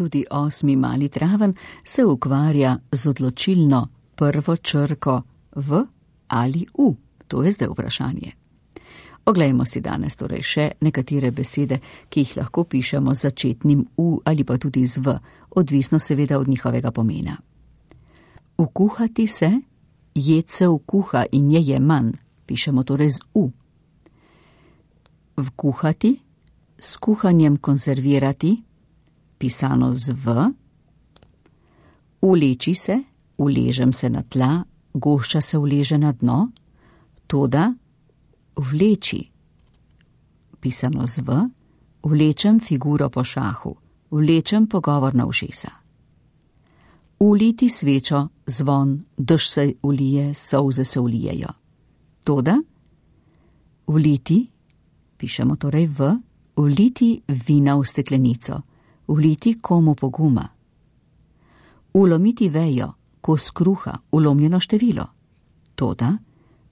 Tudi 8. mali traven se ukvarja z odločilno prvo črko v ali u. To je zdaj vprašanje. Oglejmo si danes torej še nekatere besede, ki jih lahko pišemo z začetnim u ali pa tudi z v, odvisno seveda od njihovega pomena. Ukuhati se, jed se ukuha in je manj, pišemo torej z u. Vkuhati, s kuhanjem konzervirati, pisano z v. Uleči se, uležem se na tla, gošča se uleže na dno, toda vleči, pisano z v, vlečem figuro po šahu, vlečem pogovor na ušesa. Uliti svečo, zvon, dež se ulije, solze se ulijejo. Toda vliti, pišemo torej v, vliti vina v steklenico, vliti komu poguma. Ulomiti vejo, kos kruha, ulomljeno število. Toda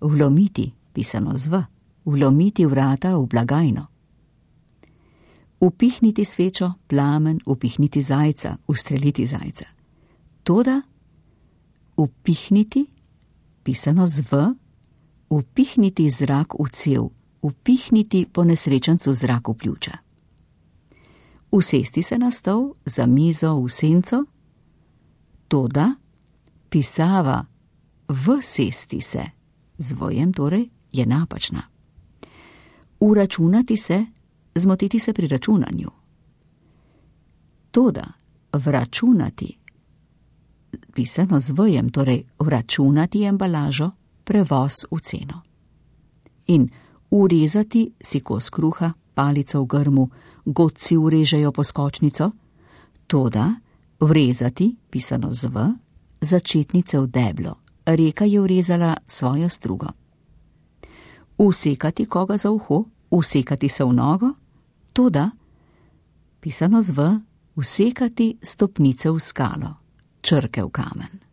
vlomiti, pisano z v, vlomiti vrata v blagajno. Upihniti svečo, plamen, upihniti zajca, ustreliti zajca. Toda upihniti, pisano z v, upihniti zrak v cev, upihniti po nesrečencu zrak v pljuča. Usesti se na stol, za mizo, v senco. Toda pisava vsesti se, z vojem torej, je napačna. Uračunati se, zmotiti se pri računanju. Toda vračunati, pisano z vojem, torej vračunati embalažo, prevoz v ceno. In urezati si kos kruha, palico v grmu, godci urežejo poskočnico. Toda vrezati, pisano z v, začetnice v deblo, reka je urezala svojo strugo. Usekati koga za uho, usekati se v nogo, toda, pisano z v, usekati stopnice v skalo, črke v kamen.